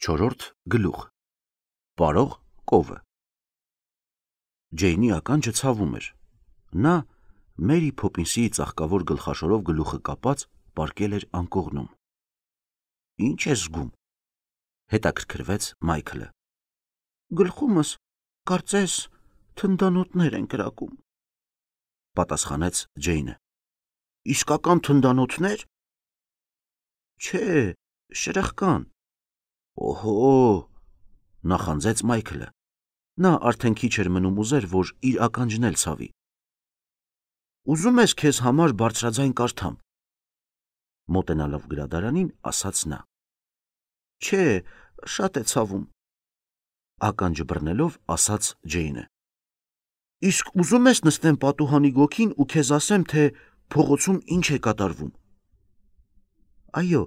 Չորրորդ գլուխ Պարող կովը Ջեյնի ականջը ցավում էր։ Նա Մերի Փոփինսի ծաղկավոր գլխաշորով գլուխը կապած պառկել էր անկողնում։ Ինչ ես զգում, հետաքրքրվեց Մայքլը։ Գլխումս կարծես թնդանոթներ են կրակում, պատասխանեց Ջեյնը։ Իսկական թնդանոթներ։ Չէ, շրխկան։ Օհո, նախանձեց Մայքլը։ Նա արդեն քիչ էր մնում ուզեր, որ իր ականջն էլ ցավի։ Ուզում ես քեզ համար բարձրաձայն կարդամ, մոտենալով գրադարանին, ասաց նա։ Չէ, շատ է ցավում, ականջը բռնելով ասաց Ջեյնը։ Իսկ ուզում ես նստեմ պատուհանի գոգին ու քեզ ասեմ, թե փողոցում ինչ է կատարվում։ Այո,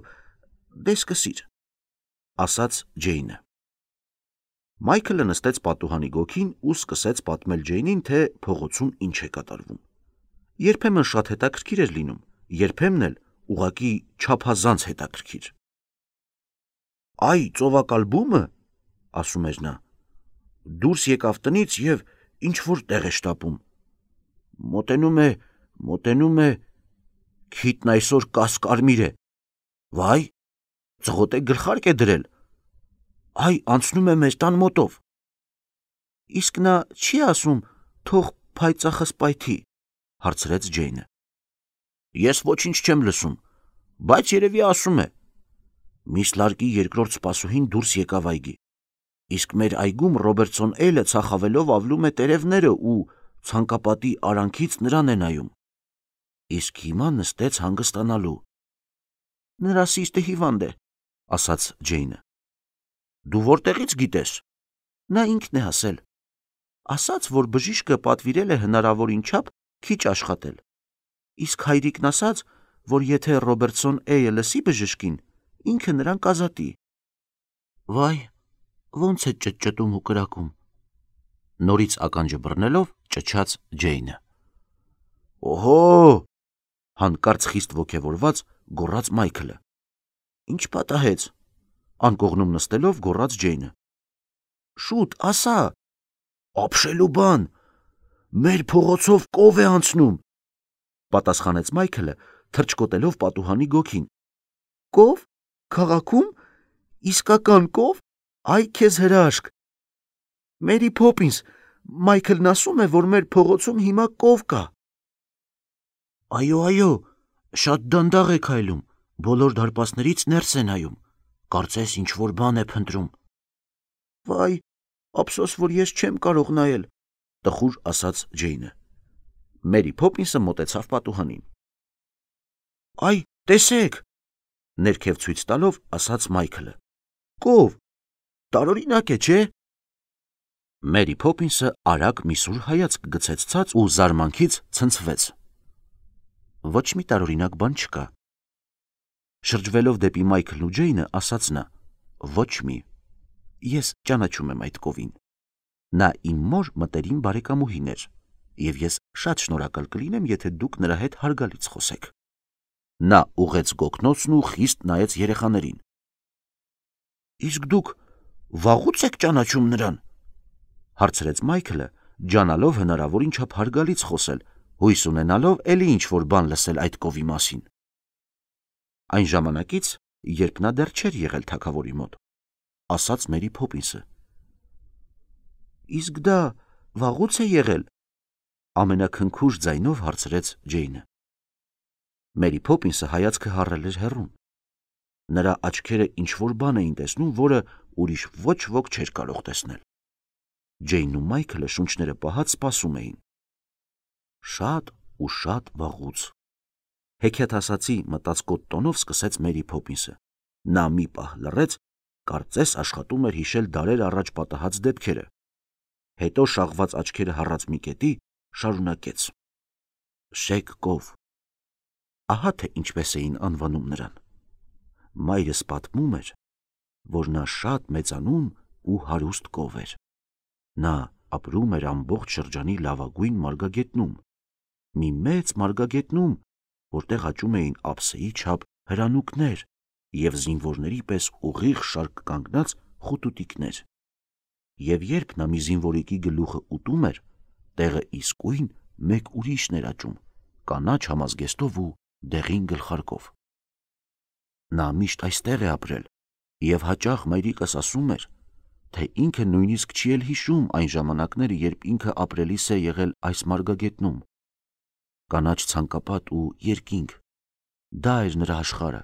դե սկսիր, ասաց Ջեյնը։ Մայքլը նստեց պատուհանի գոգին ու սկսեց պատմել Ջեյնին, թե փողոցում ինչ է կատարվում։ Երբեմն շատ հետաքրքիր էր լինում, երբեմն էլ ուղղակի չափազանց հետաքրքիր։ Այ ծովակալ բումը, ասում էր նա, դուրս եկավ տնից եւ ինչ-որ տեղ է շտապում։ Մոտենում է, քիթն այսօր կասկարմիր է։ Վայ, ծղոտե գլխարկ է դրել։ Այ անցնում է մեր տան մոտով։ Իսկ նա չի ասում, թող փայծախս պայթի, հարցրեց Ջեյնը։ Ես ոչինչ չեմ լսում, բայց երևի ասում է։ Միս լարկի երկրորդ սպասուհին դուրս եկավ այգի։ Իսկ մեր այգում Ռոբերտսոն Էյլը ցախավելով ավլում է տերևները ու ցանկապատի արանքից նրան է նայում։ Իսկ հիմա նստեց հանգստանալու։ Նրա սիրտը հիվանդ է, ասաց Ջեյնը։ Դու որտեղից գիտես։ Նա ինքն է ասել։ Ասաց, որ բժիշկը պատվիրել է հնարավորին չափ քիչ աշխատել։ Իսկ հայրիկն ասաց, որ եթե Ռոբերտսոն Էյը լսի բժշկին, ինքը նրան կազատի։ Վայ, ոնց է ճտճտում ու կրակում։ Նորից ականջը բռնելով ճչաց Ջեյնը։ Օհո, հանկարծ խիստ ոգևորված գոռաց Մայքլը։ Ինչ պատահեց, անկողնում նստելով գոռաց Ջեյնը։ Շուտ, ասա։ Ապշելու բան, մեր փողոցով կով է անցնում, պատասխանեց Մայքլը, թրջկոտելով պատուհանի գոգին։ Կով, քաղաքում, իսկական կով, այ քեզ հրաշք։ Մերի Փոփինս, Մայքլն ասում է, որ մեր փողոցում հիմա կով կա։ Այո, շատ դանդաղ է քայլում, բոլոր դարպասներից ներս է նայում, կարծես ինչ-որ բան է փնտրում։ Վայ, ափսոս, որ ես չեմ կարող նայել, տխուր ասաց Ջեյնը։ Մերի Փոփինսը մոտեցավ պատուհանին։ Այ, տեսեք, ներքև ցույց տալով ասաց Մայքլը։ Կով, տարօրինակ է, չէ։ Մերի Փոփինսը արագ մի սուր հայացք գցեց ցած ու զարմանքից ցնցվեց։ Ոչ մի տարօրինակ բան չկա։ Շրջվելով դեպի Մայքլն ու Ջեյնը, ասաց նա. Ոչ մի։ Ես ճանաչում եմ այդ կովին։ Նա իմ մոր մտերիմ բարեկամուհին էր, եւ ես շատ շնորհակալ կլինեմ, եթե դուք նրա հետ հարգալից խոսեք։ Նա ուղեց գոգնոցն ու խիստ նայեց երեխաներին։ Իսկ դուք վաղուց եք ճանաչում նրան, հարցրեց Մայքլը, ջանալով հնարավորին չափ հարգալից խոսել, հույս ունենալով էլի ինչ-որ բան լսել այդ կովի մասին։ Այն ժամանակից, երբ նա դեռ չէր եղել թագավորի մոտ, ասաց Մերի Փոփինսը։ Իսկ դա վաղուց է եղել, ամենաքնքուշ ձայնով հարցրեց Ջեյնը։ Մերի Փոփինսը հայացքը հառել էր հեռուն։ Նրա աչքերը ինչ-որ բան էին տեսնում, որը ուրիշ ոչ ոք չէր կարող տեսնել։ Ջեյնն ու Մայքլը շունչները պահած սպասում էին։ Շատ ու շատ վաղուց։ Հեքիաթասացի մտածկոտ տոնով սկսեց Մերի Փոփինսը։ Նա մի պահ լռեց, կարծես աշխատում էր հիշել դարեր առաջ պատահած դեպքերը։ Հետո շաղված աչքերը հառած մի կետի շարունակեց. Շեկ կով։ Ահա թե ինչպես էին անվանում նրան։ Մայրս պատմում էր, որ նա շատ մեծանուն ու հարուստ կով էր։ Նա ապրում էր ամբողջ շրջանի լավագույն մարգագետնում, մի մեծ մարգագետնում, որտեղ աճում էին ափսեի չափ հրանուկներ և զինվորների պես ուղիղ շարք կանգնած խուտուտիկներ։ Եվ երբ նա մի զինվորիկի գլուխը ուտում էր, տեղը իսկույն մեկ ուրիշն էր աճում, կանաչ համազգեստով ու դեղին գլխարկով։ Նա միշտ այստեղ է ապրել, եւ հաճախ մայրիկս ասում էր, թե ինքը նույնիսկ չի էլ հիշում այն ժամանակները, երբ ինքը ապրելիս է եղել այս մարգագետնում։ Կանաչ ցանկապատ ու երկինք, դա էր նրա աշխարհը,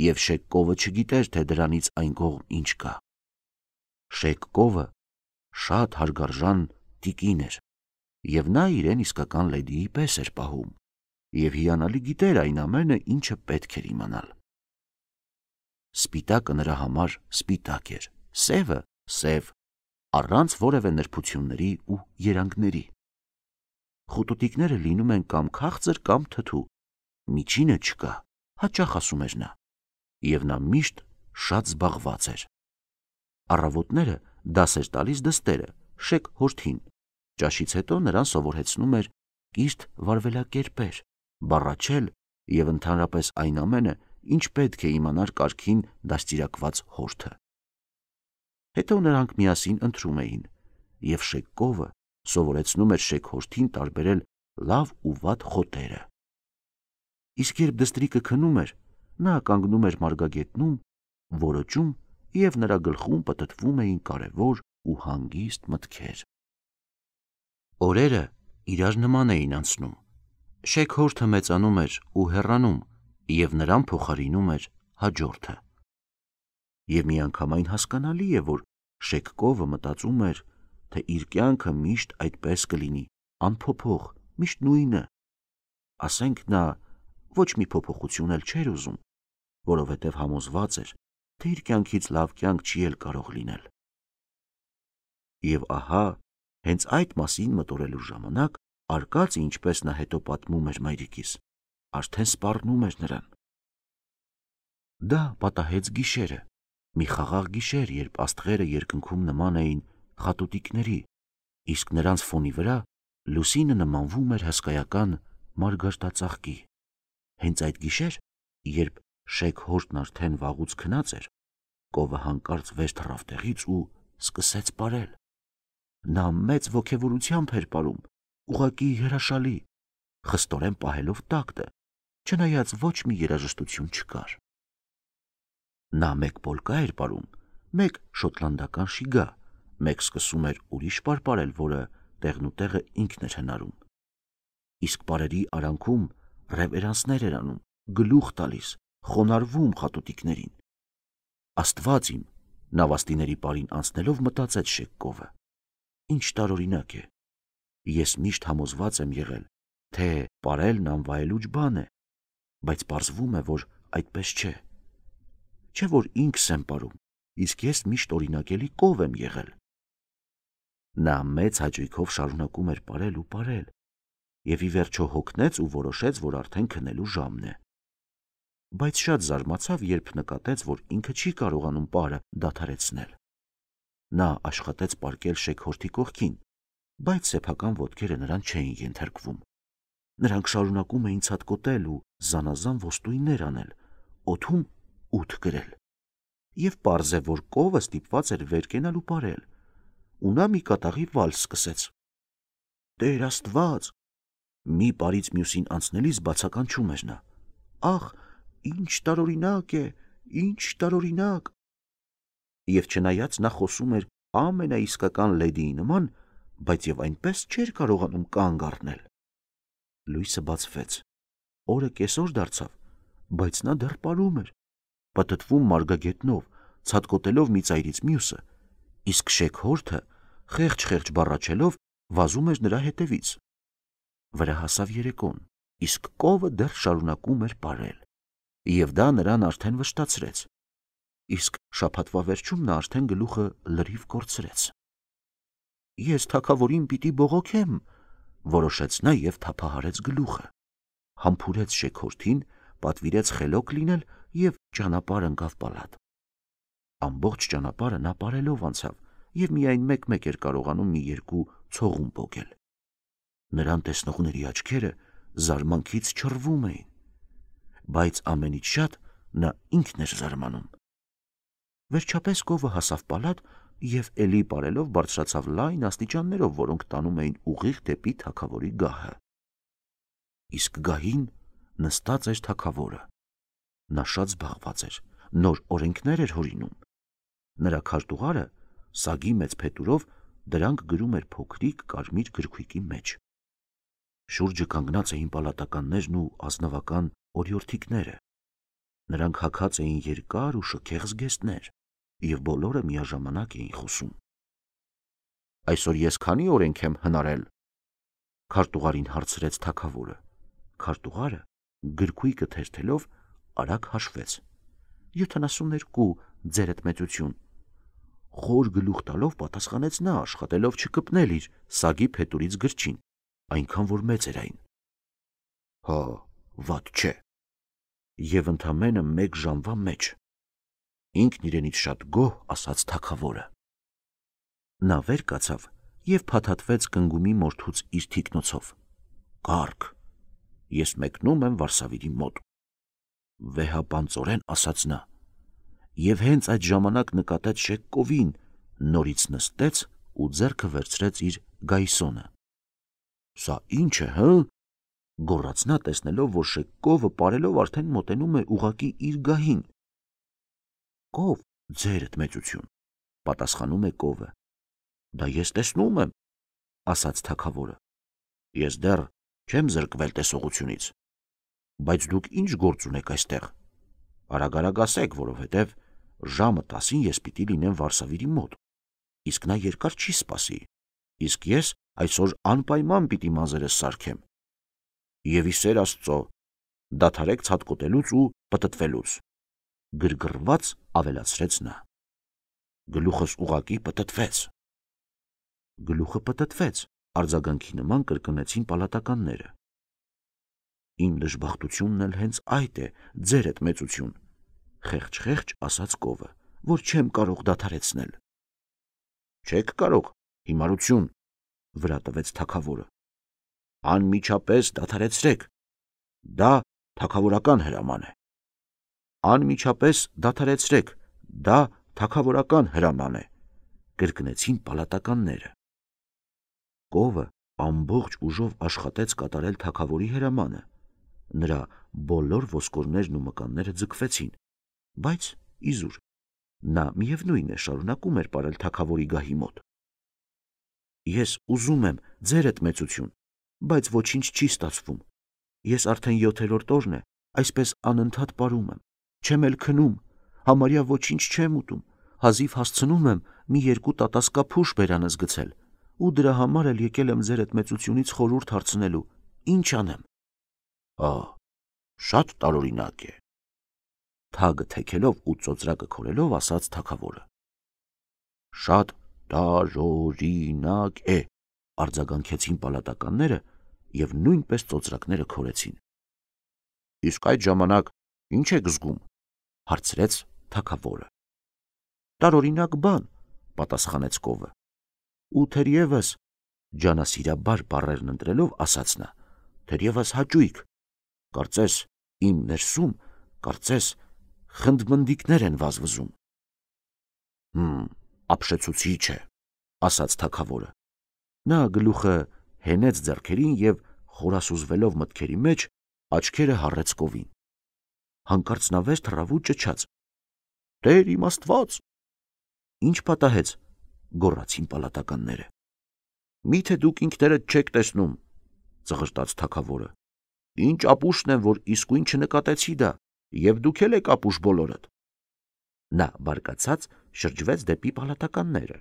եւ Շեկ կովը չգիտեր, թե դրանից այն կողմ ինչ կա։ Շեկ կովը շատ հարգարժան տիկին էր, եւ նա իրեն իսկական լեդիի պես էր պահում, եւ հիանալի գիտեր այն ամենը, ինչը պետք էր իմանալ։ Սպիտակը նրա համար սպիտակ էր, սևը սև, առանց որևէ նրբությունների ու երանգների։ Խուտուտիկները լինում են կամ քաղցր կամ թթու, միջինը չկա, հաճախ ասում էր նա, եւ նա միշտ շատ զբաղված էր։ Առավոտները դաս էր տալիս դստերը, Շեկ հորթին, ճաշից հետո նրան սովորեցնում էր կիրթ վարվելակերպեր, բառաչել եւ ընդհանրապես այն ամենը, ինչ պետք է իմանար կարգին դաստիարակված հորթը։ Հետո նրանք միասին ընթրում էին, եւ Շեկ կովը սովորեցնում էր Շեկ հորթին տարբերել լավ ու վատ խոտերը։ Իսկ երբ դստրիկը քնում էր, նա կանգնում էր մարգագետնում, որոճում, եւ նրա գլխում պտտվում էին կարևոր ու հանգիստ մտքեր։ Օրերը իրար նման էին անցնում։ Շեկ հորթը մեծանում էր ու հեռանում, եւ նրան փոխարինում էր հաջորդը։ Եվ միանգամայն հասկանալի է, որ Շեկ կովը մտածում էր, թե իր կյանքը միշտ այդպես կլինի, անփոփոխ, միշտ նույնը։ Ասենք նա ոչ մի փոփոխություն էլ չէր ուզում, որովհետև համոզված էր, թե իր կյանքից լավ կյանք չի էլ կարող լինել։ Եվ ահա, հենց այդ մասին մտորելու ժամանակ արկածը, ինչպես նա հետո պատմում էր մայրիկիս, արդեն սպառնում էր նրան։ Դա պատահեց գիշերը, մի խաղաղ գիշեր, երբ աստղերը երկնքում նման էին խատուտիկների, իսկ նրանց ֆոնի վրա լուսինը նմանվում էր հսկայական մարգարտածաղկի։ Հենց այդ գիշեր, երբ Շեկ հորթն արդեն վաղուց քնած էր, կովը հանկարծ վեր թռավ տեղից ու սկսեց պարել։ Նա մեծ ոգևորությամբ էր պարում, ուղղակի հրաշալի, խստորեն պահելով տակտը, չնայած ոչ մի երաժշտություն չկար։ Նա մեկ պոլկա էր պարում, մեկ շոտլանդական շիգա, մեկ սկսում էր ուրիշ պարպարել, որը տեղնուտեղը ինքն էր հնարում։ Իսկ պարերի արանքում ռևերանսներ էր անում, գլուխ տալիս, խոնարհվում խատուտիկներին։ Աստված իմ, նավաստիների պարին անցնելով մտածեց Շեկ կովը. ինչ տարօրինակ է։ Ես միշտ համոզված եմ եղել, թե պարելն անվայելուչ բան է, բայց պարզվում է, որ այդպես չէ։ Չէ որ ինքս եմ պարում, իսկ ես միշտ օրինակելի կով եմ եղել։ Նա մեծ հաճույքով շարունակում էր պարել ու պարել, եւ ի վերջո հոգնեց ու որոշեց, որ արդեն քնելու ժամն է։ Բայց շատ զարմացավ, երբ նկատեց, որ ինքը չի կարողանում պարը դադարեցնել։ Նա աշխատեց պառկել Շեկ հորթի կողքին, բայց սեփական ոտքերը նրան չէին ենթարկվում։ Նրանք շարունակում էին ցատկոտել ու զանազան ոստույններ անել, օդում ութ գրել։ Եվ պարզ է, որ կովը ստիպված էր վեր կենալ ու պարել, ու նա մի կատաղի վալս սկսեց։ Տեր Աստված, մի պարից մյուսին անցնելիս բացականչում էր նա. ախ, ինչ տարօրինակ է, ինչ տարօրինակ։ Եվ չնայած նա խոսում էր ամենաիսկական լեդիի նման, բայց եւ այնպես չէր կարողանում կանգ առնել։ Լույսը բացվեց, օրը կեսօր դարձավ, բայց նա դեռ պարում էր, պտտվում մարգագետնով, ցատկոտելով մի ծայրից մյուսը, իսկ Շեկ հորթը խեղճ բառաչելով վազում էր նրա հետևից։ Վրա հասավ երեկոն, իսկ կովը դեռ շարունակում էր պարել, եւ դա նրան արդեն վշտացրեց, իսկ շաբաթվա վերջում նա արդեն գլուխը լրիվ կորցրեց։ Ես թագավորին պիտի բողոքեմ, որոշեց նա եւ թափահարեց գլուխը, համբուրեց Շեկ հորթին, պատվիրեց խելոք լինել եւ ճանապարհ ընկավ պալատ։ Ամբողջ ճանապարհը նա պարելով անցավ եւ միայն մեկ-մեկ էր կարողանում մի երկու ցողուն պոկել։ Նրան տեսնողների աչքերը զարմանքից չռվում էին, բայց ամենից շատ նա ինքն էր զարմանում։ Վերջապես կովը հասավ պալատ և էլի պարելով բարձրացավ լայն աստիճաններով, որոնք տանում էին ուղիղ դեպի թագավորի գահը։ Իսկ գահին նստած էր թագավորը։ Նա շատ զբաղված էր, նոր օրենքներ էր հորինում։ Նրա քարտուղարը սագի մեծ փետուրով դրանք գրում էր փոքրիկ կարմիր գրքույկի մեջ։ Շուրջը կանգնած էին պալատականներն ու ազնվական օրիորդիկները։ Նրանք հագած էին երկար ու շքեղ զգեստներ և բոլորը միաժամանակ էին խոսում։ Այսօր ես քանի օրենք եմ հնարել, քարտուղարին հարցրեց թագավորը։ Քարտուղարը գրքույկը թերթելով արագ հաշվեց. 72, ձերդ մեծություն։ Խոր գլուխ տալով պատասխանեց նա, աշխատելով չկպնել իր սագի փետուրից գրչին, այնքան որ մեծ էր այն։ Հա, վատ չէ։ Եվ ընդամենը 1 ժամվա մեջ։ Ինքն իրենից շատ գոհ ասաց թագավորը։ Նա վեր կացավ և փաթաթվեց կնգումի մորթուց իր թիկնոցով։ Կարգ, ես մեկնում եմ Վարսավիրի մոտ։ Վեհապանծորեն ասաց նա, և հենց այդ ժամանակ նկատեց Շեկկովին, նորից նստեց ու ձեռքը վերցրեց իր գայսոնը։ Սա ինչ է, հը? Գոռաց նա, տեսնելով, որ Շեկկովը պարելով արդեն մոտենում է ուղղակի իր գահին։ Կով, ձերդ մեծություն, պատասխանում է կովը։ Դա ես տեսնում եմ, ասաց թագավորը։ Ես դեռ չեմ զրկվել տեսողությունից։ Բայց դուք ինչ գործ ունեք այստեղ։ Արագ ասեք, որովհետև ժամը 10-ին ես պիտի լինեմ Վարսավիրի մոտ, իսկ նա երկար չի սպասի, իսկ ես այսօր անպայման պիտի մազերս սարքեմ։ Եվ ի սեր Աստծո, դադարեք ցատկոտելուց ու պտտվելուց, գրգռված ավելացրեց նա։ Գլուխս ուղակի պտտվեց։ Գլուխը պտտվեց, արձագանքի նման կրկնեցին պալատականները։ Իմ դժբախտությունն էլ հենց այդ է, ձերդ մեծություն, խեղճ ասաց կովը, որ չեմ կարող դադարեցնել։ Չեք կարող, հիմարություն, վրա տվեց թագավորը։ Անմիջապես դադարեցրեք, դա թագավորական հրաման է։ Անմիջապես դադարեցրեք, դա թագավորական հրաման է, կրկնեցին պալատականները։ Կովը ամբողջ ուժով աշխատեց կատարել թագավորի հրամանը։ Նրա բոլոր ոսկորներն ու մկանները ձգվեցին, բայց իզուր, նա միևնույն է շարունակում էր պարել թագավորի գահի մոտ։ Ես ուզում եմ, ձերդ մեծություն, բայց ոչինչ չի ստացվում։ Ես արդեն 7-րդ օրն է, այսպես անընդհատ պարում եմ, չեմ էլ քնում, համարյա ոչինչ չեմ ուտում, հազիվ հասցնում եմ մի 2 տատասկափուշ բերանս գցել, ու դրա համար էլ եկել եմ ձերդ մեծությունից խորհուրդ հարցնելու, ինչ անեմ։ Շատ տարօրինակ է, թագը թեքելով ու ծոծրակը քորելով ասաց թագավորը։ Շատ տարօրինակ է, արձագանքեցին պալատականները և նույնպես ծոծրակները քորեցին։ Իսկ այդ ժամանակ ինչ եք զգում, հարցրեց թագավորը։ Տարօրինակ բան, պատասխանեց կովը։ Ու թերևս, ջանասիրաբար բառերն ընտրելով ասաց նա, թերևս հաճույք, կարծես իմ ներսում, կարծես խնդմնդիկներ են վազվզում։ Ապշեցուցիչ է, ասաց թագավորը։ Նա գլուխը հենեց ձեռքերին և խորասուզվելով մտքերի մեջ, աչքերը հառեց կովին։ Հանկարծ նա վեր թռավ ու ճչաց. Տեր իմ Աստված։ Ինչ պատահեց, գոռացին պալատականները։ Միթե դուք ինքներդ չեք տեսնում, ծղրտաց թագավորը։ Ինչ ապուշն եմ, որ իսկույն չնկատեցի դա, և դուք էլ եք ապուշ բոլորդ։ Նա բարկացած շրջվեց դեպի պալատականները։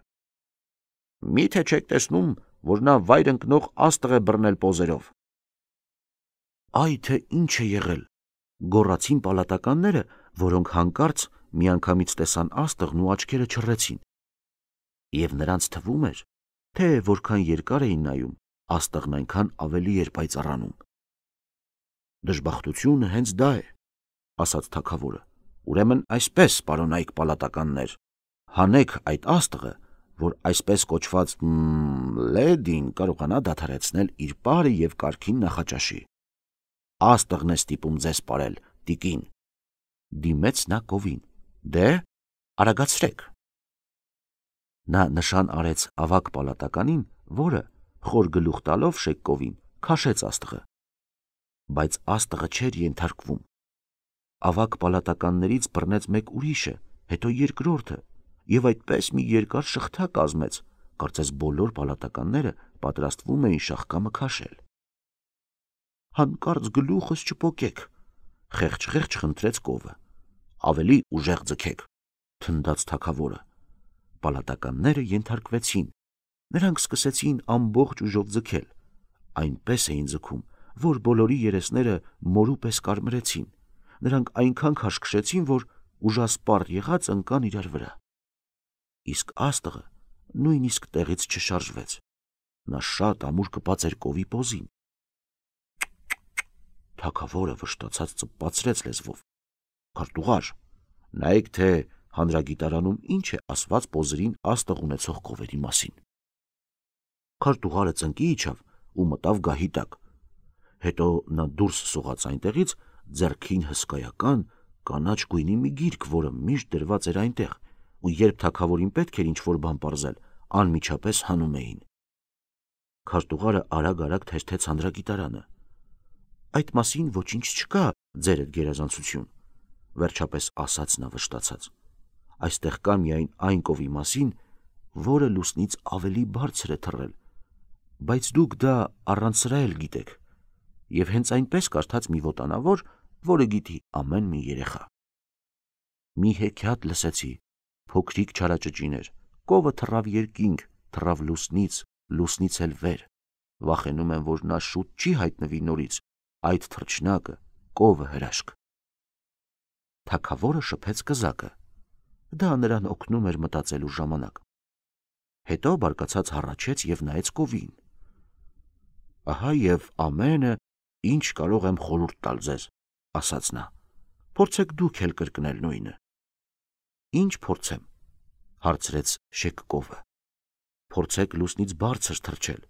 Միթե չեք տեսնում, որ նա վայր ընկնող աստղ է բռնել պոզերով։ Այ թե ինչ է եղել, գոռացին պալատականները, որոնք հանկարծ միանգամից տեսան աստղն ու աչքերը չռեցին։ Եվ նրանց թվում էր, թե որքան երկար էին նայում, աստղն այնքան ավելի էր պայծառանում։ Դժբախտությունը հենց դա է, ասաց թագավորը։ Ուրեմն այսպես, պարոնայք պալատականներ, հանեք այդ աստղը, որ այսպես կոչված լեդին կարողանա դադարեցնել իր պարը և կարգին նախաճաշի։ Աստղն է ստիպում ձեզ պարել, տիկին։ Դիմեց նա կովին։ Դե, Արագացրեք։ Նա նշան արեց ավագ պալատականին, որը, խոր գլուխ տալով Շեկկովին, քաշեց աստղը։ Բայց աստղը չէր ենթարկվում։ Ավագ պալատականներից բռնեց մեկ ուրիշը, հետո երկրորդը, եւ այդպես մի երկար շղթա կազմեց, կարծես բոլոր պալատականները պատրաստվում էին շաղկամը քաշել։ Հանկարծ գլուխս չպոկեք, խեղճ խնդրեց կովը։ Ավելի ուժեղ ձգեք, թնդաց թագավորը։ Պալատականները ենթարկվեցին։ Նրանք սկսեցին ամբողջ ուժով ձգել։ Այնպես էին ձգում, որ բոլորի երեսները մորու պես կարմրեցին։ Նրանք այնքան քաշքշեցին, որ ուժասպառ եղած ընկան իրար վրա։ Իսկ աստղը նույնիսկ տեղից չշարժվեց։ Նա շատ ամուր կպած էր կովի պոզին։ Թագավորը վշտացած ծպացրեց լեզվով. Քարտուղար, նայեք, թե հանրագիտարանում ինչ է ասված պոզերին աստղ ունեցող կովերի մասին։ Քարտուղարը ծնկի իջավ ու մտավ գահի տակ։ Հետո նա դուրս սողաց այնտեղից ձեռքին հսկայական կանաչ գույնի մի գիրք, որը միշտ դրված էր այնտեղ, ու երբ թագավորին պետք էր ինչ-որ բան պարզել, անմիջապես հանում էին։ Քարտուղարը արագ թերթեց հանրագիտարանը։ Այդ մասին ոչինչ չկա, ձերդ գերազանցություն, վերջապես ասաց նա վշտացած։ Այստեղ կա միայն այն կովի մասին, որը լուսնից ավելի բարձր է թռել, բայց դուք դա առանց սրա էլ գիտեք, եւ հենց այնպես կարդաց մի ոտանավոր, որը գիտի ամեն մի երեխա։ Մի հեքիաթ լսեցի, փոքրիկ չարաճճիներ, կովը թռավ երկինք, թռավ լուսնից էլ վեր, վախենում եմ, որ նա շուտ չի հայտնվի նորից, այդ թռչնակը, կովը հրաշք։ Թագավորը շփեց կզակը, դա նրան օգնում էր մտածելու ժամանակ։ Հետո բարկացած հառաչեց եւ նայեց կովին։ Ահա եւ ամենը, ինչ կարող եմ խորհուրդ տալ ձեզ, ասաց նա։ Փորձեք դուք էլ կրկնել նույնը։ Ինչ փորձեմ, հարցրեց Շեկկովը։ Փորձեք լուսնից բարձր թռչել,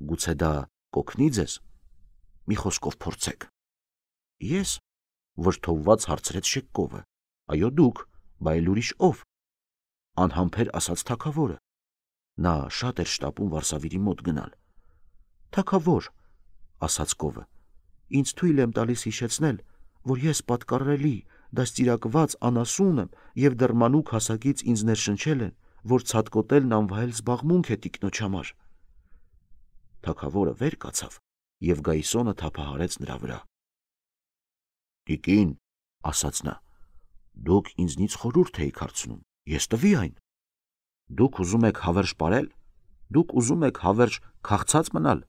գուցե դա կօգնի ձեզ։ Մի խոսքով փորձեք։ Ես, վրդովված հարցրեց Շեկկովը։ Այո դուք, բայց ուրիշ ով։ Անհամբեր ասաց թագավորը։ Նա շատ էր շտապում Վարսավիրի մոտ գնալ։ Թագավոր, ասաց կովը, ինձ թույլ եմ տալիս հիշեցնել, որ ես պատկառելի, դաստիարակված անասուն եմ եւ դեռ մանուկ հասակից ինձ ներշնչել են, որ ցատկոտելն անվայել զբաղմունք է տիկնոջ համար։ Թագավորը վեր կացավ եւ գայսոնը թափահարեց նրա վրա։ Տիկին, ասաց նա, դուք ինձնից խորհուրդ եք հարցնում, ես տվի այն։ Դուք ուզում եք հավերժ ապրել, դուք ուզում եք հավերժ քաղցած մնալ,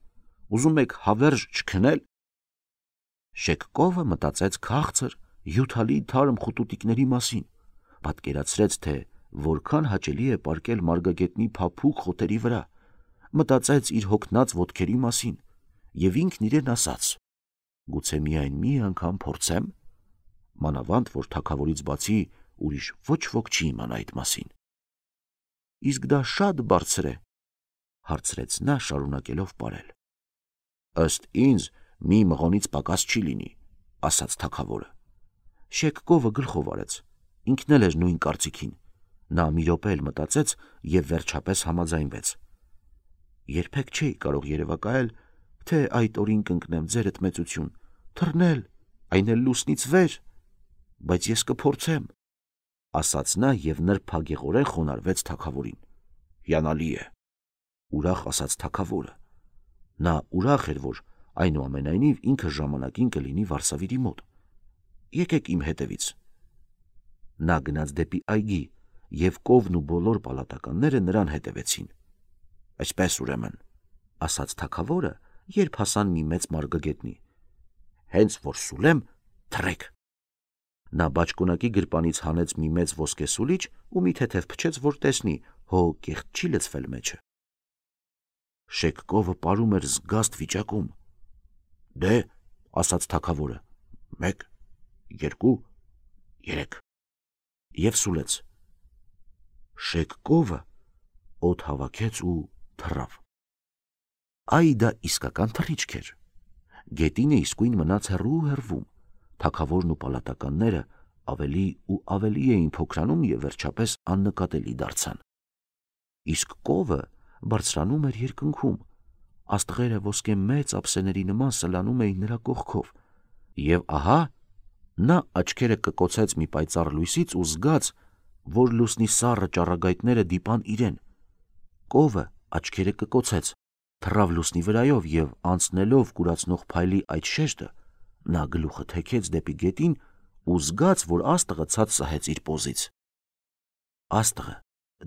ուզում եք հավերժ չքնել։ Շեկկովը մտածեց քաղցր, հյութալի թարմ խուտուտիկների մասին, պատկերացրեց, թե որքան հաճելի է պարկել մարգագետնի փափուկ խոտերի վրա, մտածեց իր հոգնած ոտքերի մասին եւ ինքն իրեն ասաց. գուցե միայն մի անգամ փորձեմ, մանավանդ որ թագավորից բացի ուրիշ ոչ ոք չի իմանա այդ մասին։ Իսկ դա շատ բարձր է, հարցրեց նա շարունակելով պարել։ Ըստ ինձ մի մղոնից պակաս չի լինի, ասաց թագավորը։ Շեկկովը գլխով արեց, ինքն էլ էր նույն կարծիքին։ Նա մի րոպե էլ մտածեց եւ վերջապես համաձայնվեց։ Երբեք չէի կարող երևակայել, թե այդ օրին կընկնեմ ձերդ մեծություն, թռնել, այն էլ լուսնից վեր, բայց ես կփորձեմ, ասաց նա եւ նրբագեղորեն խոնարհվեց թագավորին։ Հիանալի է, ուրախ ասաց թագավորը։ Նա ուրախ էր, որ այնուամենայնիվ ինքը ժամանակին կլինի Վարսավիրի մոտ։ Եկեք իմ հետևից։ Նա գնաց դեպի այգի, եւ կովն ու բոլոր պալատականները նրան հետևեցին։ Այսպես ուրեմն, ասաց թագավորը, երբ հասան մի մեծ մարգագետնի։ Հենց որ սուլեմ, թռեք։ Նա բաճկոնակի գրպանից հանեց մի մեծ ոսկե սուլիչ ու մի թեթև փչեց, որ տեսնի, հո կեղտ չի լցվել մեջը։ Շեկկովը պարում էր զգաստ վիճակում։ Դե, ասաց թագավորը, 1, 2, 3 եւ սուլեց։ Շեկկովը օդ հավաքեց ու թռավ։ Այ դա իսկական թռիչք էր։ Գետինը իսկույն մնաց հեռվում, թագավորն ու պալատականները ավելի ու ավելի էին փոքրանում եւ վերջապես աննկատելի դարձան։ Իսկ կովը բարձրանում էր երկնքում, աստղերը ոսկե մեծ ափսեների նման սլանում էին նրա կողքով, եւ ահա նա աչքերը կկոցեց մի պայծառ լույսից ու զգաց, որ լուսնի սառը ճառագայթները դիպան իրեն։ Կովը աչքերը կկոցեց, թռավ լուսնի վրայով եւ անցնելով կուրացնող փայլի այդ շեշտը, նա գլուխը թեքեց դեպի գետին ու զգաց, որ աստղը ցած սահեց իր պոզից։ Աստղը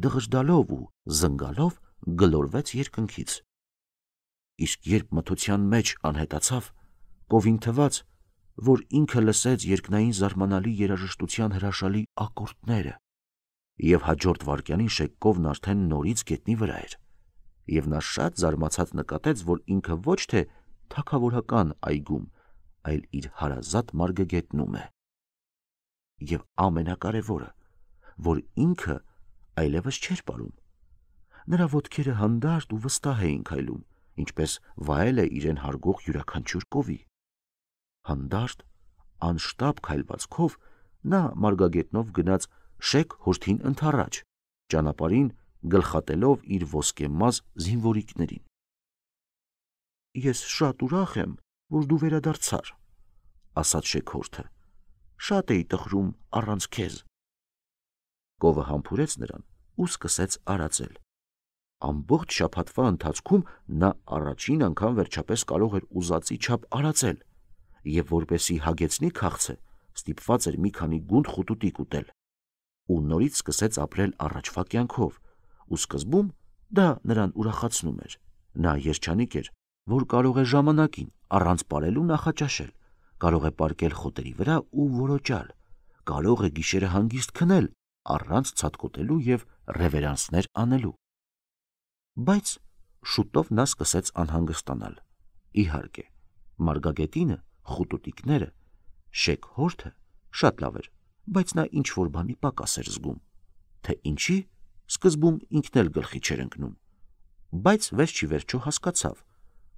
դղժդալով ու զնգալով գլորվեց երկնքից։ Իսկ երբ մթության մեջ անհետացավ, կովին թվաց, որ ինքը լսեց երկնային զարմանալի երաժշտության հրաշալի ակորդները, եւ հաջորդ վայրկյանին շեկկովն արդեն նորից գետնի վրա էր, եւ նա շատ զարմացած նկատեց, որ ինքը ոչ թե թագավորական այգում, այլ իր հարազատ մարգագետնում է։ Եվ ամենակարևորը, որ ինքը այլևս չէր պարում։ Նրա ոտքերը հանդարտ ու վստահ էին քայլում, ինչպես վայել է իրեն հարգող յուրաքանչյուր կովի։ Հանդարտ, անշտապ քայլվածքով նա մարգագետնով գնաց շեք հորթին ընդառաջ, ճանապարհին գլխատելով իր ոսկեմազ զինվորիկներին։ Ես շատ ուրախ եմ, որ դու վերադարձար, ասաց շեքհորթը, շատ էի տխրում առանց քեզ։ Կովը համբուրեց նրան ու սկսեց արածել։ Ամբողջ շաբաթվա ընթացքում նա առաջին անգամ վերջապես կարող էր ուզածի չափ արածել, եւ որպեսի հագեցնի քաղցը, ստիպված էր մի քանի գունդ խուտուտիկ ուտել, ու նորից սկսեց ապրել առաջվա կյանքով, ու սկզբում դա նրան ուրախացնում էր։ Նա երջանիկ էր, որ կարող է ժամանակին առանց պարելու նախաճաշել, կարող է պառկել խոտերի վրա ու որոճալ, կարող է գիշերը հանգիստ քնել առանց ցատկոտելու եւ ռևերանսներ անելու։ Բայց շուտով նա սկսեց անհանգստանալ։ Իհարկե, մարգագետինը, խուտուտիկները, շեքհորթը շատ լավ էր, բայց նա ինչ որ բանի պակաս էր զգում, թե ինչի սկզբում ինքն էլ գլխի չէր ընկնում, բայց վերջի վերջո հասկացավ,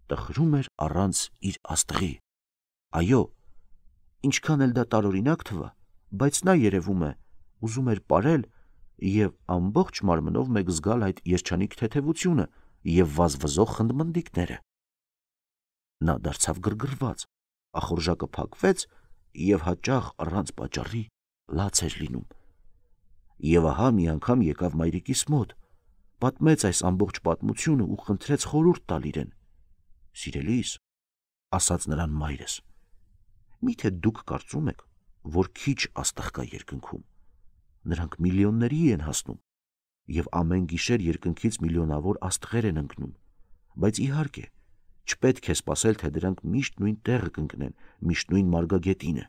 տխրում էր առանց իր աստղի։ Այո, ինչքան էլ դա տարօրինակ թվա, բայց նա երևում է ուզում էր պարել եւ ամբողջ մարմնով մեկ զգալ այդ երջանիկ թեթևությունը եւ վազվզող խնդմնդիկները։ Նա դարձավ գրգռված, ախորժակը փակվեց եւ հաճախ առանց պատճառի լաց էր լինում։ Եվ ահա մի անգամ եկավ մայրիկիս մոտ, պատմեց այս ամբողջ պատմությունը ու խնդրեց խորհուրդ տալ իրեն։ Սիրելիս, ասաց նրան մայրս, միթե դուք կարծում եք, որ քիչ աստղ կա երկնքում։ Նրանք միլիոնների են հասնում, եւ ամեն գիշեր երկնքից միլիոնավոր աստղեր են ընկնում, բայց իհարկե, չպետք է սպասել, թե դրանք միշտ նույն տեղը կընկնեն, միշտ նույն մարգագետինը։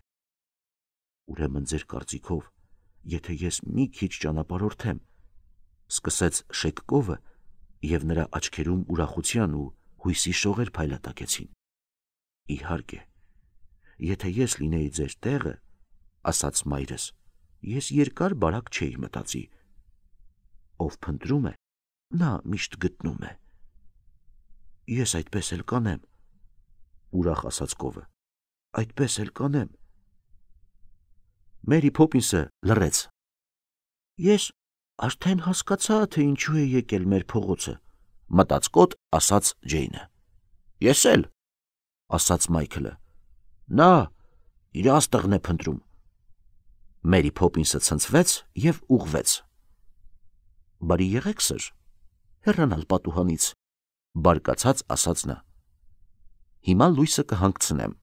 Ուրեմն ձեր կարծիքով, եթե ես մի քիչ ճանապարհորդեմ, սկսեց շեկկովը, եւ նրա աչքերում ուրախության ու հույսի շողեր փայլատակեցին։ Իհարկե, եթե ես լինեի ձեր տեղը, ասաց մայրս, ես երկար բարակ չէի մտածի։ Ով փնտրում է, նա միշտ գտնում է։ Ես այդպես էլ կանեմ, ուրախ ասաց կովը, այդպես էլ կանեմ։ Մերի Փոփինսը լռեց։ Ես արդեն հասկացա, թե ինչու է եկել մեր փողոցը, մտածկոտ ասաց Ջեյնը։ Ես էլ, ասաց Մայքլը։ Նա իր աստղն է փնտրում։ Մերի Փոփինսը ցնցվեց եւ ուղղվեց։ Բարի եղեք, սըր, հեռանալ պատուհանից, բարկացած ասաց նա։ Հիմա լույսը կհանգցնեմ։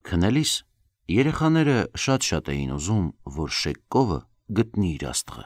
Քնելիս երեխաները շատ էին ուզում, որ շեկկովը գտնի իր աստղը։